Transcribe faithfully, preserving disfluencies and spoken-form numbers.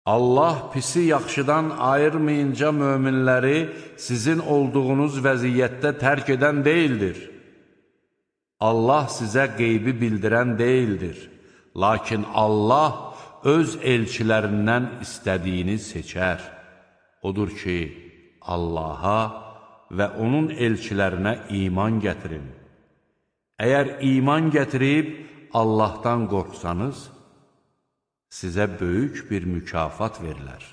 Allah pisi yaxşıdan ayırmayınca möminləri sizin olduğunuz vəziyyətdə tərk edən deyildir. Allah sizə qeybi bildirən deyildir. Lakin Allah öz elçilərindən istədiyini seçər. Odur ki, Allaha və onun elçilərinə iman gətirin. Əgər iman gətirib Allahdan qorxsanız, sizə böyük bir mükafat verilər.